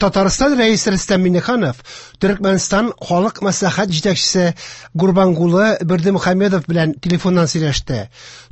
Татарстан Рәисе Рөстәм Миңнеханов Төркмәнстан Халык Мәслихәт җитәкчесе Гурбангулы Бердымөхәммедов белән телефоннан сөйләште.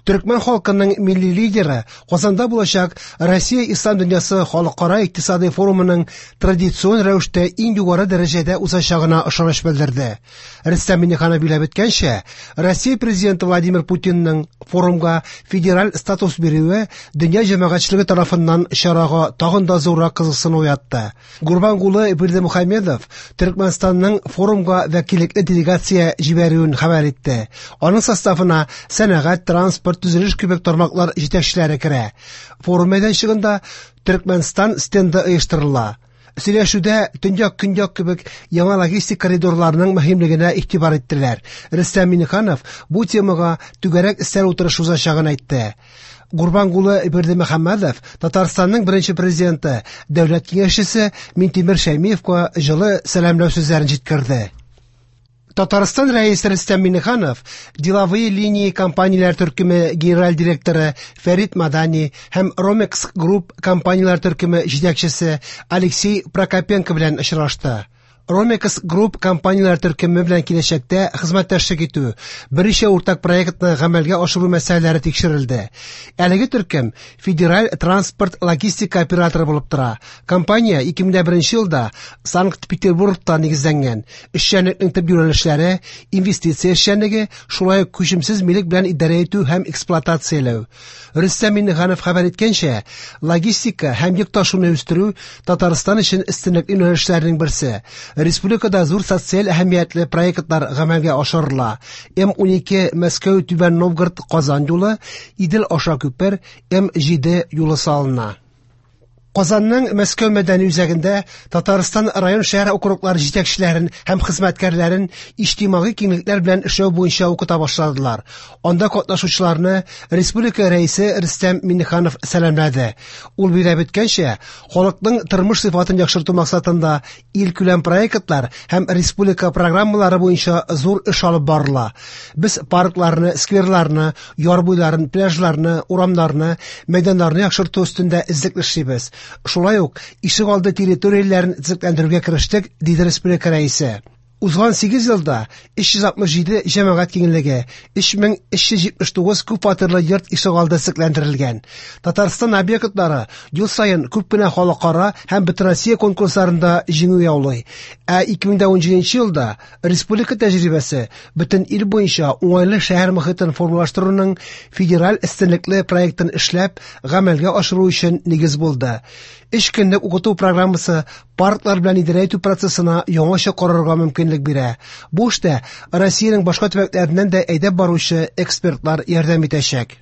Төркмән халкының милли лидеры Казанда булачак Россия Ислам дөньясы халыкара икътисадый форумының традицион рәвештә иң югары дәрәҗәдә узачагына ышаныч белдерде. Рөстәм Миңнеханов билгеләп үткәнчә, Россия Президенты Владимир Путинның форумга федераль статус бирүе дөнья җәмәгатьчелеге тарафыннан чарага тагын да зуррак кызыксыну уятты. Гурбангулы Бердымөхәммедов Төркмәнстанның форумга вәкиллекле делегация җибәрүен хәбәр итте. Аның составына сәнәгать, транспорт, төзелеш кебек тармаклар җитәкчеләре керә. Форум мәйданчыгында Төркмәнстан стенды оештырыла. Сөйләшүдә төньяк-көньяк кебек яңа логистик коридорларның мөһимлегенә игътибар иттеләр. Рөстәм Миңнеханов бу темага түгәрәк өстәл утырышы узачагын әйтте. Гурбангулы Бердымөхәммәдов Татарстанның беренче президенты, дәүләт киңәшчесе Минтимер Шәймиевка җылы сәламләү сүзләрен җиткерде. Татарстан Рәисе Рөстәм Миңнеханов Деловые линии компанияләр төркеме генераль директоры Фәрит Мадани һәм Romex Group компанияләр төркеме җитәкчесе Алексей Прокопенко белән очрашты. Romex Group компанияләр төркеме белән киләчәктә хезмәттәшлек итү, берничә уртак проектны гамәлгә ашыру мәсьәләләре тикшерелде. Әлеге төркем федераль транспорт логистика операторы булып тора. Компания 2001 елда Санкт-Петербургта нигезләнгән. Эшчәнлекнең төп юнәлешләре инвестиция эшчәнлеге, шулай ук күчемсез милек белән идарә итү һәм эксплуатацияләү. Рөстәм Миңнеханов хәбәр иткәнчә, логистика һәм йөк ташуны үстерү Татарстан өчен өстенлекле юнәлешләрнең берсе. Республикада зур социаль әһәмиятле проектлар гамәлгә ашырыла. М12 Мәскәү Түбән Новгород Казан юлы, Идел аша күпер, М7 юлы салына. Казанның Мәскәү мәдәни үзәгендә Татарстан район шәһәр округлары җитәкчеләрен һәм хезмәткәрләрен иҗтимагый киңлекләр белән эшләү буенча укыта башладылар. Анда катнашучыларны республика рәисе Рөстәм Миңнеханов сәламләде. Ул билгеләп үткәнчә, халыкның тормыш сыйфатын яхшырту максатында илкүләм проектлар һәм республика программалары буенча зур эш алып барыла. Без паркларны, скверларны, яр буйларын, пляжларны, урамнарны, мәйданнарны яхшырту өстендә эзлекле эшлибез. Шулай ук ишегалды территорияләрен төзекләндерүгә керештек, диде республика рәисе. Узган 8 елда 367 җәмәгать киңлеге, 3379 күп фатирлы йорт ишегалды төзекләндерелгән. Татарстан объектлары ел саен күп кенә халыкара һәм бөтенроссия конкурсларында җиңү яулый. Ә 2017 елда республика тәҗрибәсе бөтен ил буенча уңайлы шәһәр мохитен формалаштыруның федераль өстенлекле проектын эшләп, гамәлгә ашыру өчен нигез булды. Өч көнлек укыту программасы парклар белән идарә итү процессына яңача карарга мөмкинлек бирә. Бу эштә Россиянең башка төбәкләреннән дә әйдәп баручы экспертлар ярдәм итәчәк.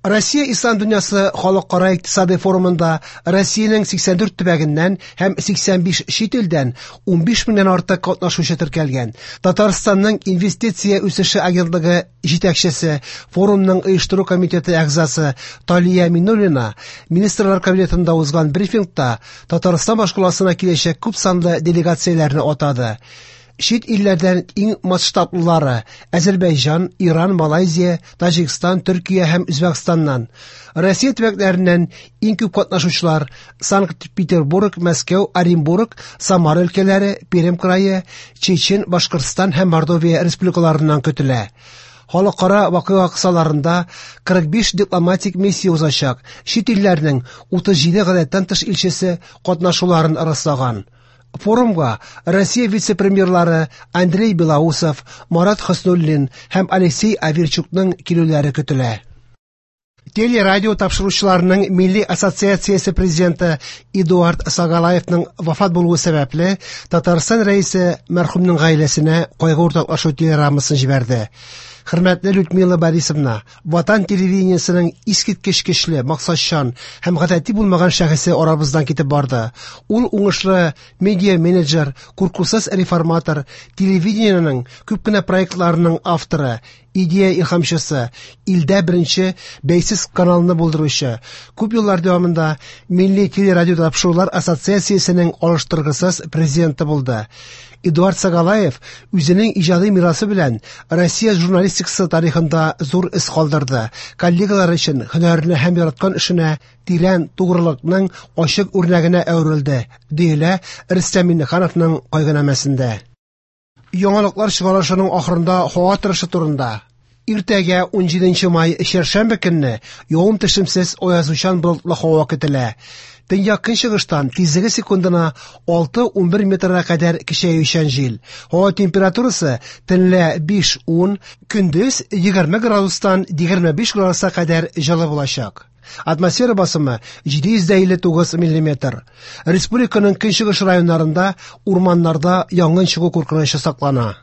Россия Ислам дөньясы халыкара икътисадый форумында Россиянең 84 төбәгеннән һәм 85 чит илдән 15 меңнән артык катнашучы теркәлгән. Татарстанның инвестиция үсеше агентлыгы җитәкчесе, форумның оештыру комитеты әгъзасы Талия Миннуллина Министрлар кабинетында узган брифингта Татарстан башкаласына киләчәк күп санлы делегацияләрне атады. Чит илләрдән иң масштаблылары Әзербәйҗан, Иран, Малайзия, Таҗикстан, Төркия һәм Үзбәкстаннан. Россия төбәкләреннән иң күп катнашучылар Санкт-Петербург, Мәскәү, Оренбург, Самара өлкәләре, Пермь крае, Чечен, Башкортстан һәм Мордовия республикаларыннан көтелә. Халыкара вакыйга кысаларында 45 дипломатик миссия узачак. Чит илләрнең 37 гадәттән тыш илчесе катнашуларын раслаган. Форумга Россия вице-премьерлары Андрей Белоусов, Марат Хөснуллин һәм Алексей Аверчукның килүләре көтелә. Телерадио тапшыручыларының милли ассоциациясе президенты Эдуард Сагалаевның вафат булуы сәбәпле, Татарстан рәисе мәрхүмнең гаиләсенә кайгы уртаклашу телеграммасын җибәрде. Хөрмәтле Людмила Борисовна, Ватан телевидениесенең искиткеч көчле, максатчан һәм гадәти булмаган шәхесе арабыздан китеп барды. Ул уңышлы медиа-менеджер, куркусыз реформатор, телевидениенең күп кенә проектларының авторы, идея илһамчысы, илдә беренче бәйсез каналны булдыручы, күп еллар дәвамында Милли телерадиотапшырулар ассоциациясенең алыштыргысыз президенты булды. Эдуард Сагалаев үзенең иҗади мирасы белән Россия журналистикасы тарихында зур эз калдырды. Коллегалары өчен һөнәренә һәм яраткан эшенә тирән тугрылыкның ачык үрнәгенә әверелде, диелә Рөстәм Миңнехановның кайгынамәсендә. Яңалыклар чыгарылышының ахырында һава торышы турында. Иртәгә 17 май чәршәмбе көнне явым-төшемсез аязучан болытлы һава көтелә. Төньяк көнчыгыштан тизлеге секундына 6-11 метрга кадәр көчәючән җил. Һава температурасы төнлә 5-10, көндез 20 градустан 25 градуска кадәр җылы булачак. Атмосфера басымы 759 миллиметр. Республиканың көнчыгыш районнарында урманнарда янгын чыгу куркынычы саклана.